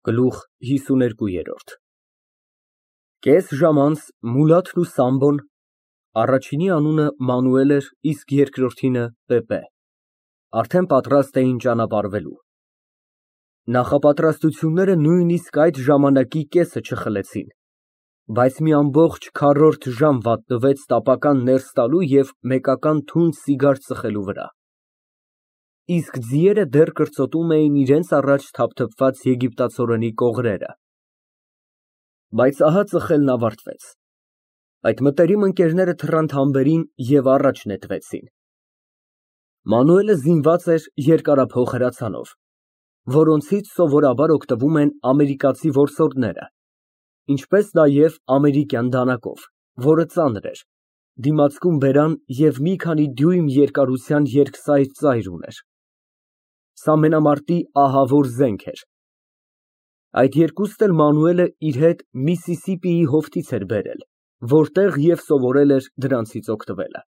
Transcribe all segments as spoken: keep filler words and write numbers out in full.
Գլուխ հիսուներկու Կես ժամ անց Մուլաթն ու Սամբոն (առաջինի անունը Մանուել էր, իսկ երկրորդինը՝ Պեպե) արդեն պատրաստ էին ճանապարհվելու։ Նախապատրաստությունները նույնիսկ այդ ժամանակի կեսը չխլեցին, բայց մի ամբողջ քառորդ ժամ վատնվեց տապական ներս տալու և մեկական թունդ սիգար ծխելու վրա, իսկ ձիերը դեռ կրծոտում էին իրենց առաջ թափթփված եգիպտացորենի կողրերը։ Բայց ահա ծխելն ավարտվեց։ Այդ մտերիմ ընկերները թռան թամբերին և առաջ նետվեցին։ Մանուելը զինված էր երկարափող հրացանով, որոնցից սովորաբար օգտվում են ամերիկացի որսորդները, ինչպես նաև ամերիկյան դանակով, որը ծանր էր, դիմացկուն բերան և մի քանի դյույմ երկարության երկսայր ծայր ուներ։ Սա մենամարտի ահավոր զենք էր։ Այդ երկուսն էլ Մանուելը իր հետ Միսիսիպիի հովտից էր բերել, որտեղ և սովորել էր դրանցից օգտվելը։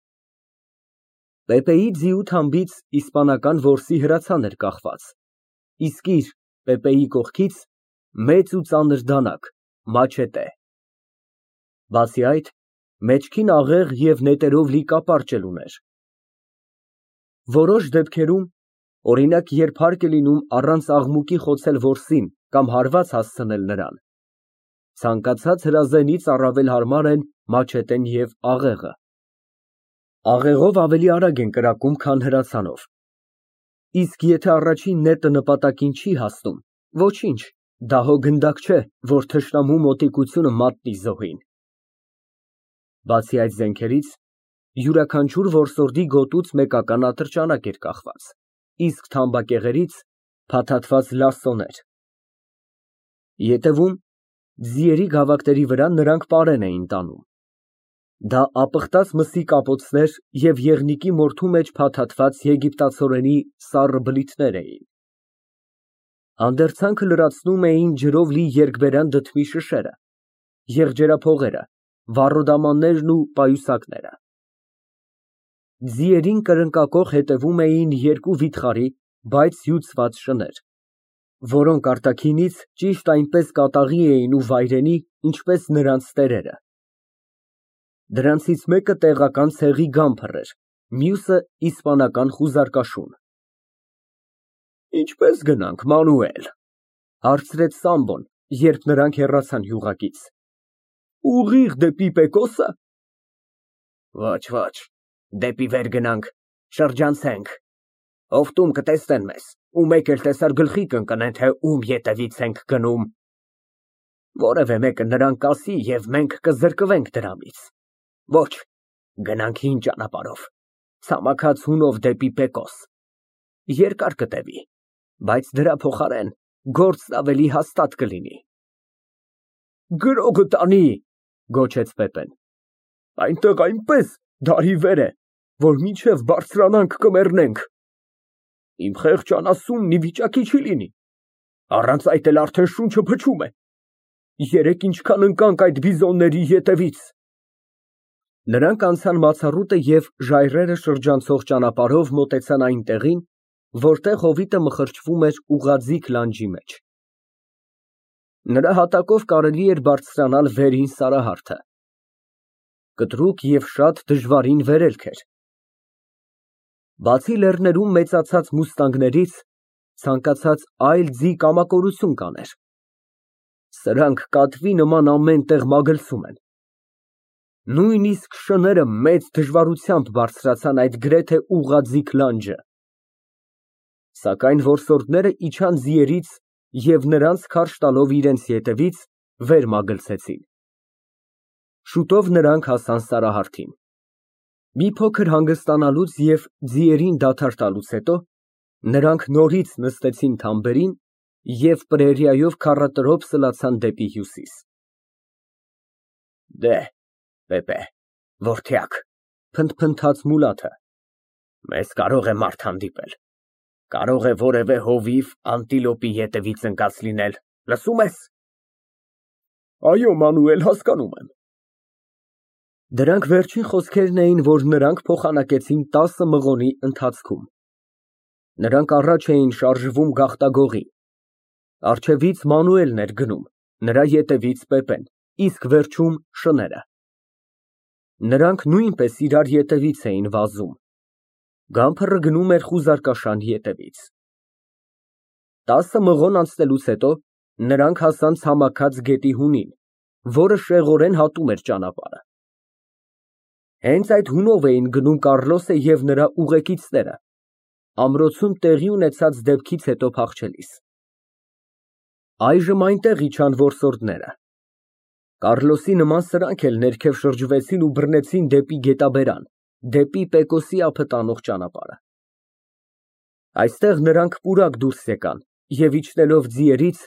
Պեպեի ձիու թամբից իսպանական որսի հրացան էր կախված, իսկ իր՝ Պեպեի կողքից, մեծ ու ծանր դանակ՝ մաչետե։ Բացի այդ, մեջքին աղեղ և նետերով լի կապարճ էլ ուներ։ Որոշ դեպքերում, օրինակ, երբ հարկ է լինում առանց աղմուկի խոցել որսին կամ հարված հասցնել նրան, ցանկացած հրազենից առավել հարմար են մաչետեն և աղեղը։ Աղեղով ավելի արագ են կրակում, քան հրացանով, իսկ եթե առաջին նետը նպատակին չի հասնում, ոչինչ, դա հո գնդակ չէ, որ թշնամու մոտիկությունը մատնի զոհին։ Բացի այդ զենքերից, յուրաքանչյուր որսորդի գոտուց մեկական ատրճանակ էր կախված, իսկ թամբակեղերից՝ փաթաթված լասոներ։ Ետևում, ձիերի գավակների վրա նրանք պարեն էին տանում։ Դա ապխտած մսի կապոցներ և եղնիկի մորթու մեջ փաթաթված եգիպտացորենի սառը բլիթներ էին։ Հանդերձանքը լրացնում էին ջրով լի երկբերան դդմի շշերը, եղջերափողերը, վառոդամաններն ու պայուսակները։ Ձիերին կրնկակոխ հետևում էին երկու վիթխարի, բայց հյուծված շներ, որոնք արտաքինից ճիշտ այնպես կատաղի էին ու վայրենի, ինչպես նրանց տերերը։ Դրանցից մեկը տեղական ցեղի գամփր էր, մյուսը իսպանական խուզարկաշուն։ Ինչպե՞ս գնանք, Մանուել, ֊ հարցրեց Սամբոն, երբ նրանք հեռացան յուղակից։ Ուղիղ դեպի Պեկոսը։ Ոչ, ոչ, դեպի վեր գնանք, շրջանցենք, հովտում կտեսնեն մեզ ու մեկ էլ տեսար գլխի կընկնեն, թե ում ետևից ենք գնում։ Որևէ մեկը նրան կասի և մենք կզրկվենք դրանից։ Ոչ, գնանք հին ճանապարհով, ցամաքած հունով դեպի Պեկոս։ Երկար կտևի, բայց դրա փոխարեն գործն ավելի հաստատ կլինի։ Գրոգը տանի, ֊ գոչեց Պեպեն։ Այնտեղ այնպես դարի վեր է, որ մինչև բարձրանանք կմեռնենք։ Իմ խեղճ անասունն ի վիճակի չի լինի, առանց այդ էլ արդեն շունչը փչում է։ Երեկ ինչքան ընկանք այդ բիզոնների ետևից։ Նրանք անցան մացառուտը և ժայռերը շրջանցող ճանապարհով մոտեցան այն տեղին, որտեղ հովիտը մխրճվում էր ուղղաձիգ լանջի մեջ։ Նրա հատակով կարելի էր բարձրանալ վերին Սարահարթը։ Կտրուկ և շատ դժվարին վերելք էր։ Բացի լեռներում մեծացած մուստանգներից, ցանկացած այլ ձի կամակորություն կաներ։ Սրանք կատվի նման ամեն տեղ մագլցում են։ Նույնիսկ շները մեծ դժվարությամբ բարձրացան այդ գրեթե ուղղաձիգ լանջը։ Սակայն որսորդները իջան ձիերից և նրանց քարշ տալով իրենց ետևից, վեր մագլցեցին։ Շուտով նրանք հասան Սարահարթին։ Մի փոքր հանգստանալուց և ձիերին դադար տալուց հետո, նրանք նորից նստեցին թամբերին և պրերիայով քառատրոփ սլացան դեպի հյուսիս։ Դե, Պեպե, որդյակ, ֊ փնթփնթաց Մուլաթը, մեզ կարող է մարդ հանդիպել, կարող է որևէ հովիվ անտիլոպի ետևից ընկած լինել, լսո՞ւմ ես։ Այո, Մանուել, հասկանում եմ։ Դրանք վերջին խոսքերն էին, որ նրանք փոխանակեցին տասը մղոնի ընթացքում։ Նրանք առաջ էին շարժվում գաղտագողի։ Առջևից Մանուելն էր գնում, նրա ետևից Պեպեն, իսկ վերջում շները։ Նրանք նույնպես իրար ետևից էին վազում։ Գամփրը գնում էր խուզարկաշան ետևից։ Տասը մղոն անցնելուց հետո նրանք հասան ցամաքած գետի հունին, որը շեղորեն հատում էր ճանապարհը։ Հենց այդ հունով էին գնում Կառլոսը և նրա ուղեկիցները, ամրոցում տեղի ունեցած դեպքից հետո փախչելիս։ Այժմ այնտեղ իջան որսորդները։ Կառլոսի նման սրանք էլ ներքև շրջվեցին ու բռնեցին դեպի գետաբերան, դեպի Պեկոսի ափը տանող ճանապարհը։ Այստեղ նրանք պուրակ դուրս եկան և իջնելով ձիերից,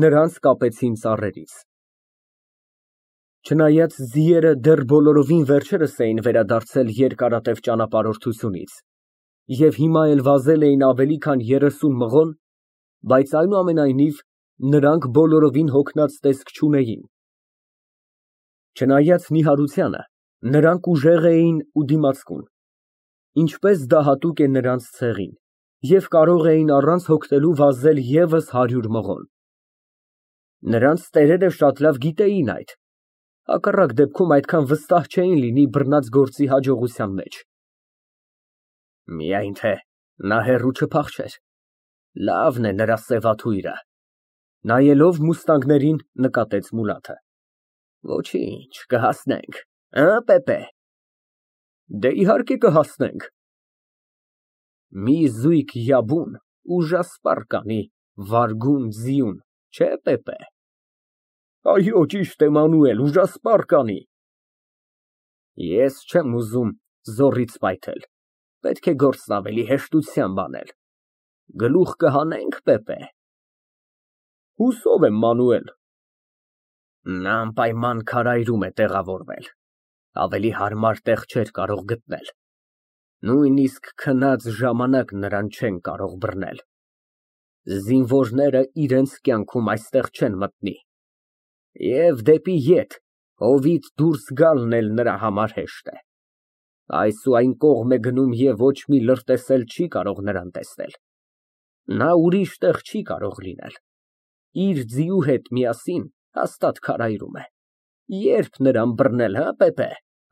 նրանց կապեցին ծառերից։ Չնայած ձիերը դեռ բոլորովին վերջերս էին վերադարձել երկարատև ճանապարհորդությունից և հիմա էլ վազել էին ավելի քան երեսուն մղոն, բայց այնուամենայնիվ նրանք բոլորովին հոգնած տեսք չունեին։ Չնայած նիհարությանը, նրանք ուժեղ էին ու դիմացկուն, ինչպես դա հատուկ է նրանց ցեղին, և կարող էին առանց հոգնելու վազել ևս հարյուր մղոն։ Նրանց տերերը շատ լավ գիտեին այդ, հակառակ դեպքում այդքան վստահ չէին լինի բռնած գործի հաջողության մեջ։ Միայն թե նա հեռու չփախչեր, լավն է նրա սևաթույրը։ Նայելով մուստանգներին, նկատեց Մուլաթը։ Ոչինչ, կհասնենք, հը, Պեպե։ Դե իհարկե կհասնենք։ Մի զույգ յաբուն ուժասպառ կանի վարգուն ձիուն, չէ, Պեպե։ Այո, ճիշտ է, Մանուել, ուժասպառ կանի։ Ես չեմ ուզում զոռից պայթել, պետք է գործն ավելի հեշտությամբ անել։ Գլուխ կհանե՞նք, Պեպե։ Հուսով եմ, Մանուել։ Նա անպայման քարայրում է տեղավորվել, ավելի հարմար տեղ չէր կարող գտնել, նույնիսկ քնած ժամանակ նրան չեն կարող բռնել։ Զինվորները իրենց կյանքում այստեղ չեն մտնի, և դեպի ետ հովիտ դուրս գալն էլ նրա համար հեշտ է։ Այս ու այն կողմ է գնում և ոչ մի լրտեսել չի կարող նրան տեսնել։ Նա ուրիշ տեղ չի կարող լինել, իր ձիու հետ միասին հաստատ քարայրում է։ Երբ նրան բռնել, հը, Պեպե,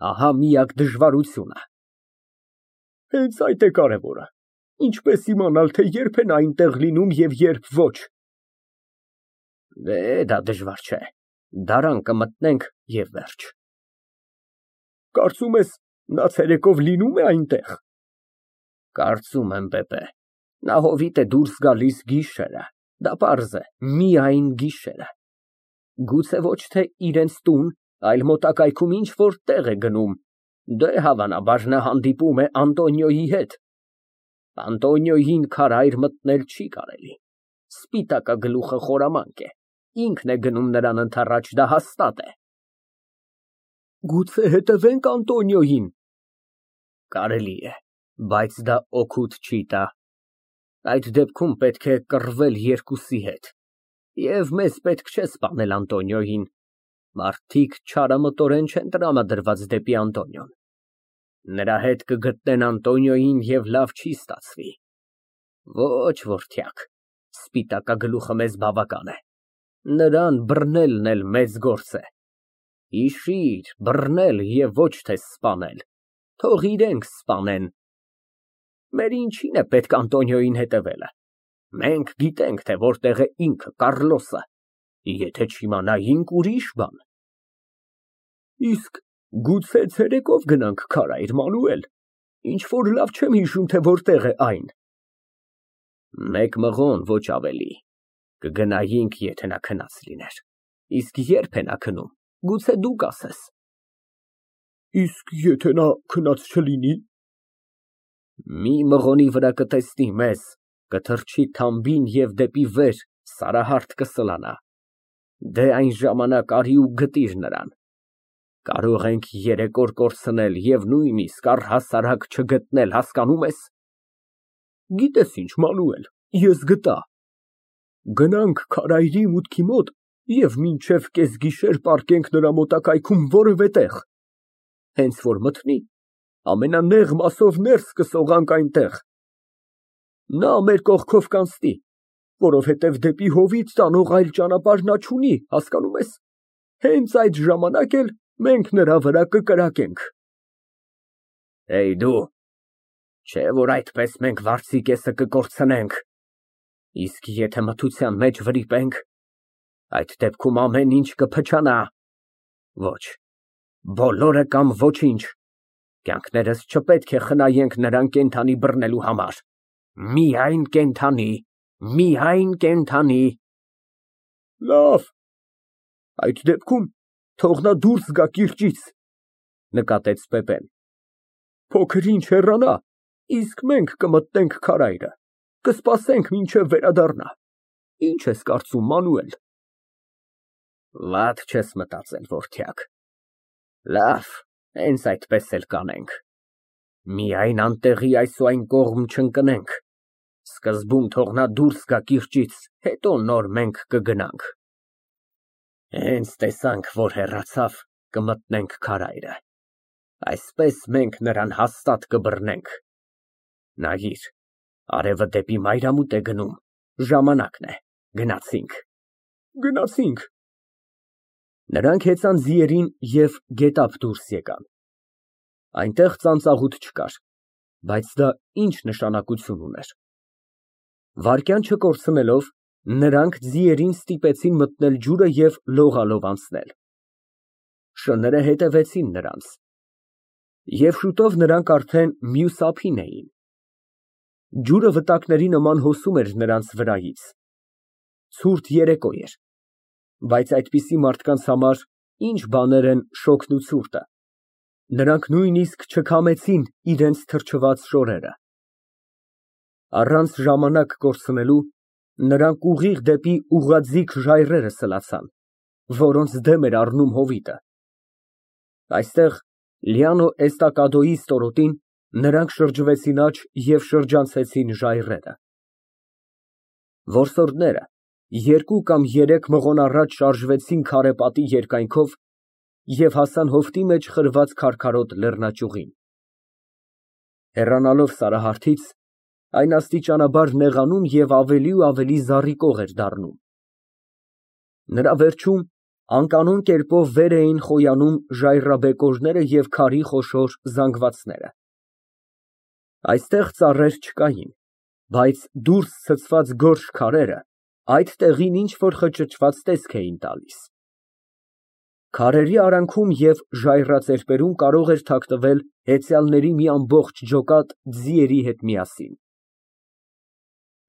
ահա միակ դժվարությունը։ Հենց այդ է կարևորը, ինչպես իմանալ, թե երբ են այնտեղ լինում և երբ ոչ։ Դե, դա դժվար չէ, դարան կմտնենք և վերջ։ Կարծում ես, նա ցերեկով լինում է այնտեղ։ Կարծում եմ, Պեպե, նա հովիտ է դուրս գալիս գիշերը, դա պարզ է, միայն գիշերը։ Գուցե ոչ թե իրենց տուն, այլ մոտակայքում ինչ֊որ տեղ է գնում, դե, հավանաբար, նա հանդիպում է Անտոնիոյի հետ։ Անտոնիոյին քարայր մտնել չի կարելի, սպիտակագլուխը խորամանկ է, ինքն է գնում նրան ընդառաջ, դա հաստատ է։ Գուցե հետևենք Անտոնիոյին։ Կարելի է, բայց դա օգուտ չի տա։ Այդ դեպքում պետք է կռվել երկուսի հետ, և մեզ պետք չէ սպանել Անտոնիոյին, մարդիկ չարամտորեն չեն տրամադրված դեպի Անտոնիոն։ Նրա հետ կգտնեն Անտոնիոյին և լավ չի ստացվի։ Ոչ, որդյակ, սպիտակագլուխը մեզ բավական է, նրան բռնելն էլ մեծ գործ է։ Հիշիր, բռնել և ոչ թե սպանել, թող իրենք սպանեն։ Մեր ինչին է պետք Անտոնիոյին հետևելը, մենք գիտենք, թե որտեղ է ինքը, Կառլոսը, եթե չիմանայինք, ուրիշ բան։ Իսկ գուցե ցերեկով գնանք քարայր, Մանուել, ինչ֊որ լավ չեմ հիշում, թե որտեղ է այն։ Մեկ մղոն, ոչ ավելի, կգնայինք, եթե նա քնած լիներ, իսկ երբ է նա քնում, գուցե դու կասես։ Իսկ եթե նա քնած չլինի։ Մի մղոնի վրա կտեսնի մեզ, կթռչի թամբին և դեպի վեր սարահարթ կսլանա, դե այն ժամանակ արի ու գտիր նրան։ Կարող ենք երեք օր կորցնել և նույնիսկ առհասարակ չգտնել, հասկանում ես։ Գիտես ինչ, Մանուել, ես գտա։ Գնանք քարայրի մուտքի մոտ և մինչև կեսգիշեր պառկենք նրա մոտակայքում որևէ տեղ։ Հենց որ մթնի, ամենանեղ մասով ներս կսողանք այնտեղ։ Նա մեր կողքով կանցնի, Որովհետև դեպի հովիտ տանող այլ ճանապարհ նա չունի, հասկանում ես, հենց այդ ժամանակ էլ մենք նրա վրա կկրակենք։ Դու, չէ՞ որ այդպես մենք վարձիկեսը կկորցնենք, իսկ եթե մթության մեջ վրիպենք, այդ դեպքում ամեն ինչ կփչանա։ Ոչ, բոլորը կամ ոչինչ, կյանքներս չպետք է խնայենք նրան կենդանի բռնելու համար, միայն կենդանի, միայն կենդանի։ Լավ, այդ դեպքում թող նա դուրս գա կիրճից, նկատեց Պեպեն, փոքր ինչ հեռանա, իսկ մենք կմտնենք քարայրը, կսպասենք մինչև վերադառնա, ինչ ես կարծում, Մանուել։ Վատ չես մտածել, որդյակ, լավ, հենց այդպես էլ կանենք, միայն անտեղի այս ու այն կողմ չընկնենք, սկզբում թող նա դուրս գա կիրճից, հետո նոր մենք կգնանք։ Հենց տեսանք, որ հեռացավ, կմտնենք քարայրը, այսպես մենք նրան հաստատ կբռնենք։ Նայիր, արևը դեպի մայրամուտ է գնում, ժամանակն է, գնացինք։ Գնացինք։ Նրանք հեծան ձիերին և գետափ դուրս եկան։ Այնտեղ ծանծաղուտ չկար, բայց դա ինչ նշանակություն ուներ։ Վայրկյան չկորցնելով, նրանք ձիերին ստիպեցին մտնել ջուրը և լողալով անցնել։ Շները հետևեցին նրանց, և շուտով նրանք արդեն մյուս ափին էին։ Ջուրը վտակների նման հոսում էր նրանց վրայից։ Ցուրտ երեկո էր, բայց այդպիսի մարդկանց համար ինչ բաներ են շոգն ու ցուրտը, նրանք նույնիսկ չքամեցին իրենց թրջված շորերը։ Առանց ժամանակ կորցնելու, նրանք ուղիղ դեպի ուղղաձիգ ժայռերը սլացան, որոնց դեմ էր առնում հովիտը։ Այստեղ, Լիանո Էստակադոյի ստորոտին, նրանք շրջվեցին աջ և շրջանցեցին ժայռերը։ Որսորդները երկու կամ երեք մղոն առաջ շարժվեցին քարե պատի երկայնքով և հասան հովտի մեջ խրված քարքարոտ լեռնաճյուղին։ Հեռանալով Սարահարթից, այն աստիճանաբար նեղանում և ավելի ու ավելի զառիկող էր դառնում։ Նրա վերջում անկանոն կերպով վեր էին խոյանում ժայռաբեկորները և քարի խոշոր զանգվածները։ Այստեղ ծառեր չկային, բայց դուրս ցցված գորշ քարերը այդ տեղին ինչ֊որ խճճված տեսք էին տալիս։ Քարերի արանքում և ժայռածերպերում կարող էր թաքնվել հեծյալների մի ամբողջ ջոկատ ձիերի հետ միասին։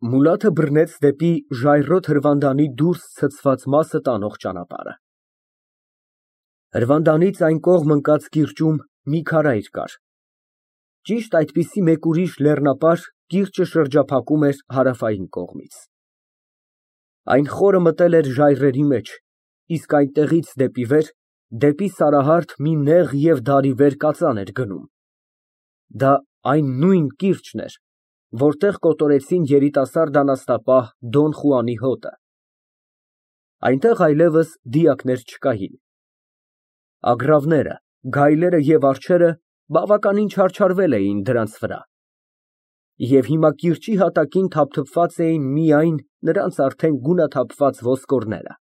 Մուլաթը բռնեց դեպի ժայռոտ հրվանդանի դուրս ցցված մասը տանող ճանապարհը։ Հրվանդանից այն կողմ ընկած կիրճում մի քարայր կար։ Ճիշտ այդպիսի մեկ ուրիշ լեռնապար կիրճը շրջափակում էր հարավային կողմից։ Այն խորը մտել էր ժայռերի մեջ, իսկ այնտեղից դեպի վեր, դեպի Սարահարթ մի նեղ և դարիվեր կածան էր գնում։ Դա այն նույն կիրճն էր, որտեղ կոտորեցին երիտասարդ անաստապահ Դոն Խուանի հոտը։ Այնտեղ այլևս դիակներ չկային։ Ագռավները, գայլերը և արջերը բավականին չարչարվել էին դրանց վրա, և հիմա կիրճի հատակին թափթփված էին միայն նրանց արդեն գունաթափված ոսկորները։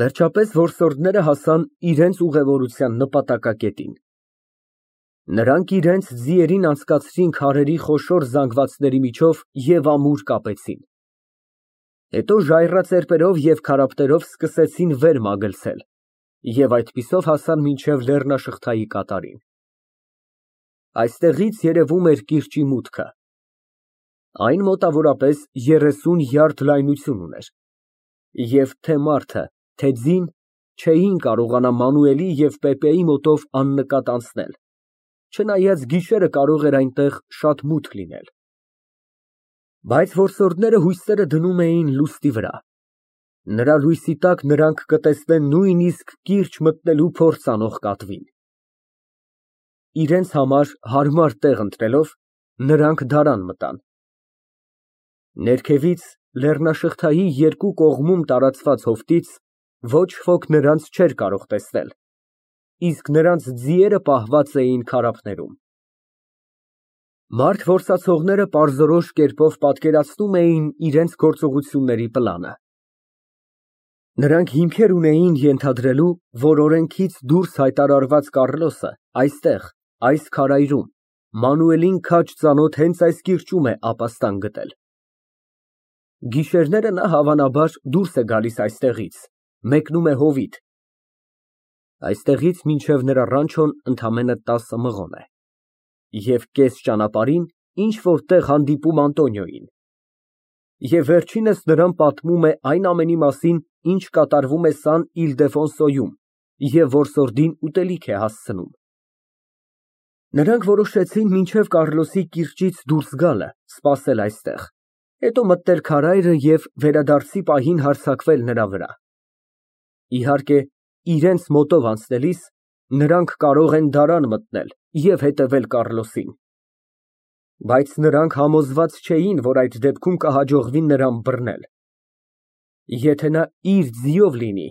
Վերջապես որսորդները հասան իրենց ուղևորության նպատակակետին։ Նրանք իրենց ձիերին անցկացրին քարերի խոշոր զանգվածների միջով և ամուր կապեցին։ Հետո ժայռածերպերով և քարափտերով սկսեցին վեր մագլցել և այդպիսով հասան մինչև լեռնաշղթայի կատարին։ Այստեղից երևում էր կիրճի մուտքը։ Այն մոտավորապես երեսուն յարդ լայնություն ուներ, և թե մարդը, թե ձին չէին կարողանա Մանուելի և Պեպեի մոտով աննկատ անցնել, չնայած գիշերը կարող էր այնտեղ շատ մութ լինել։ Բայց որսորդները հույսերը դնում էին լուստի վրա։ Նրա լույսի տակ նրանք կտեսնեն նույնիսկ կիրճ մտնելու փորձ անող կատվին։ Իրենց համար հարմար տեղ ընտրելով, նրանք դարան մտան։ Ներքևից, լեռնաշղթայի երկու կողմում տարածված հովտից ոչ ոք նրանց չէր կարող տեսնել, իսկ նրանց ձիերը պահված էին քարափներում։ Մարդ որսացողները պարզորոշ կերպով պատկերացնում էին իրենց գործողությունների պլանը։ Նրանք հիմքեր ունեին ենթադրելու, որ օրենքից դուրս հայտարարված Կառլոսը այստեղ, այս քարայրում, Մանուելին քաջ ծանոթ հենց այս կիրճում է ապաստան գտել։ Գիշերները նա հավանաբար դուրս է գալիս այստեղից, մեկնում է հովիտ։ Այստեղից մինչև նրա ռանչոն ընդամենը տասը մղոն է։ Եվ կես ճանապարհին ինչ֊որ տեղ հանդիպում Անտոնիոյին։ Եվ վերջինս նրան պատմում է այն ամենի մասին, ինչ կատարվում է Սան Իլդեֆոնսոյում, և որսորդին ուտելիք է հասցնում։ Նրանք որոշեցին մինչև Կառլոսի կիրճից դուրս գալը սպասել այստեղ, հետո մտնել քարայրը և վերադարձի պահին հարձակվել նրա վրա։ Իհարկե, իրենց մոտով անցնելիս նրանք կարող են դարան մտնել և հետևել Կառլոսին։ Բայց նրանք համոզված չէին, որ այդ դեպքում կհաջողվի նրան բռնել։ Եթե նա իր ձիով լինի,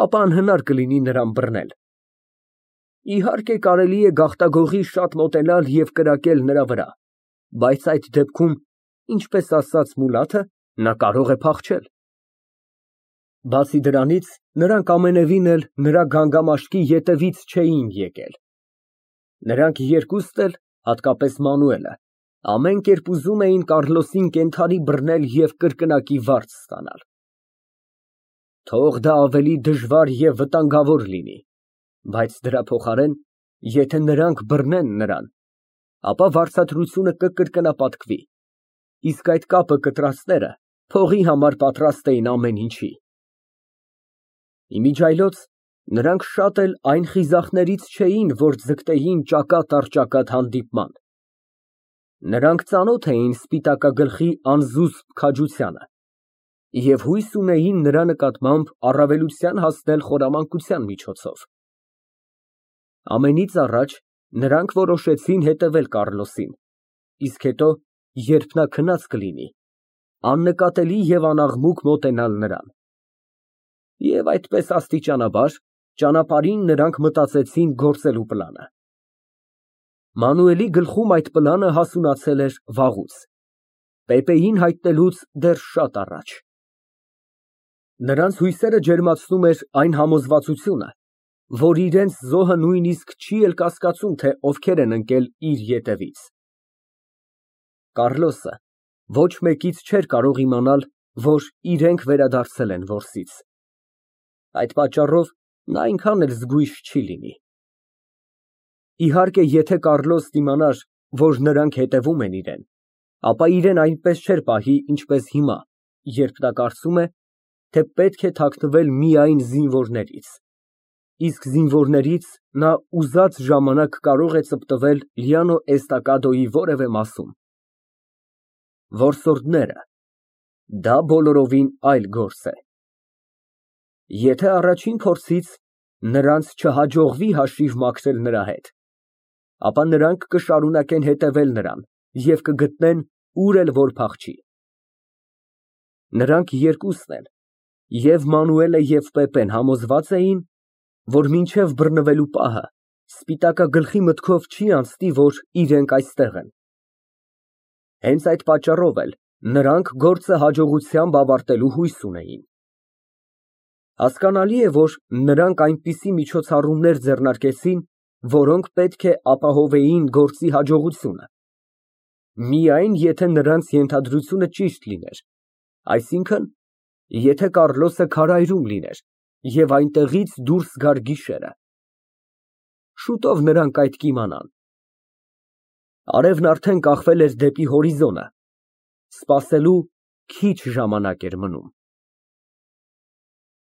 ապա անհնար կլինի նրան բռնել։ Իհարկե, կարելի է գաղտագողի շատ մոտենալ և կրակել նրա վրա, բայց այդ դեպքում, ինչպես ասաց Մուլաթը, նա կարող է փախչել։ Բացի դրանից, նրանք ամենևին էլ նրա գանգամաշկի ետևից չէին եկել։ Նրանք երկուստ էլ, հատկապես Մանուելը, ամեն կերպ ուզում էին Կառլոսին կենդանի բռնել և կրկնակի վարձ ստանալ։ Թող դա ավելի դժվար և վտանգավոր լինի, բայց դրա փոխարեն, եթե նրանք բռնեն նրան, ապա վարձատրությունը կկրկնապատկվի, իսկ այդ կապը կտրածները փողի համար պատրաստ էին ամեն ինչի։ Իմիջիայլոց նրանք շատ էլ այն խիզախներից չէին, որ ձգտեին ճակատ առ ճակատ հանդիպման։ Նրանք ծանոթ էին սպիտակագլխի անզուսպ քաջությանը և հույս ունեին նրա նկատմամբ առավելության հասնել խորամանկության միջոցով։ Ամենից առաջ նրանք որոշեցին հետևել Կառլոսին, իսկ հետո, երբ նա քնած կլինի, աննկատելի և անաղմուկ մոտենալ նրան։ Եվ այդպես աստիճանաբար ճանապարհին նրանք մտածեցին գործելու պլանը։ Մանուելի գլխում այդ պլանը հասունացել էր վաղուց, Պեպեին հայտնելուց դեռ շատ առաջ։ Նրանց հույսերը ջերմացնում էր այն համոզվածությունը, որ իրենց զոհը նույնիսկ չի էլ կասկածում, թե ովքեր են ընկել իր ետևից։ Կառլոսը ոչ մեկից չէր կարող իմանալ, որ իրենք վերադարձել են որսից։ Այդ պատճառով նա այնքան էլ զգույշ չի լինի։ Իհարկե, եթե Կառլոսն իմանար, որ նրանք հետևում են իրան, ապա իրան այնպես չէր պահի, ինչպես հիմա, երբ նա կարծում է, թե պետք է թաքնվել միայն զինվորներից, իսկ զինվորներից նա ուզած ժամանակ կարող է ծպտվել Լիանո Էստակադոյի որևէ մասում։ Որսորդները ֊ դա բոլորովին այլ գործ է։ Եթե առաջին փորձից նրանց չհաջողվի հաշիվ մաքրել նրա հետ, ապա նրանք կշարունակեն հետևել նրան և կգտնեն, ուր էլ որ փախչի։ Նրանք երկուսն էլ, և Մանուելը, և Պեպեն համոզված էին, որ մինչև բռնվելու պահը սպիտակագլխի մտքով չի անցնի, որ իրենք այստեղ են։ Հենց այդ պատճառով էլ նրանք գործը հաջողությամբ ավարտելու հույս ունեին։ Հասկանալի է, որ նրանք այնպիսի միջոցառումներ ձեռնարկեցին, որոնք պետք է ապահովեին գործի հաջողությունը։ Միայն եթե նրանց ենթադրությունը ճիշտ լիներ, այսինքն, եթե Կառլոսը քարայրում լիներ և այնտեղից դուրս գար գիշերը։ Շուտով նրանք այդ կիմանան։ Արևն արդեն կախվել էր դեպի հորիզոնը, սպասելու քիչ ժամանակ էր մնում։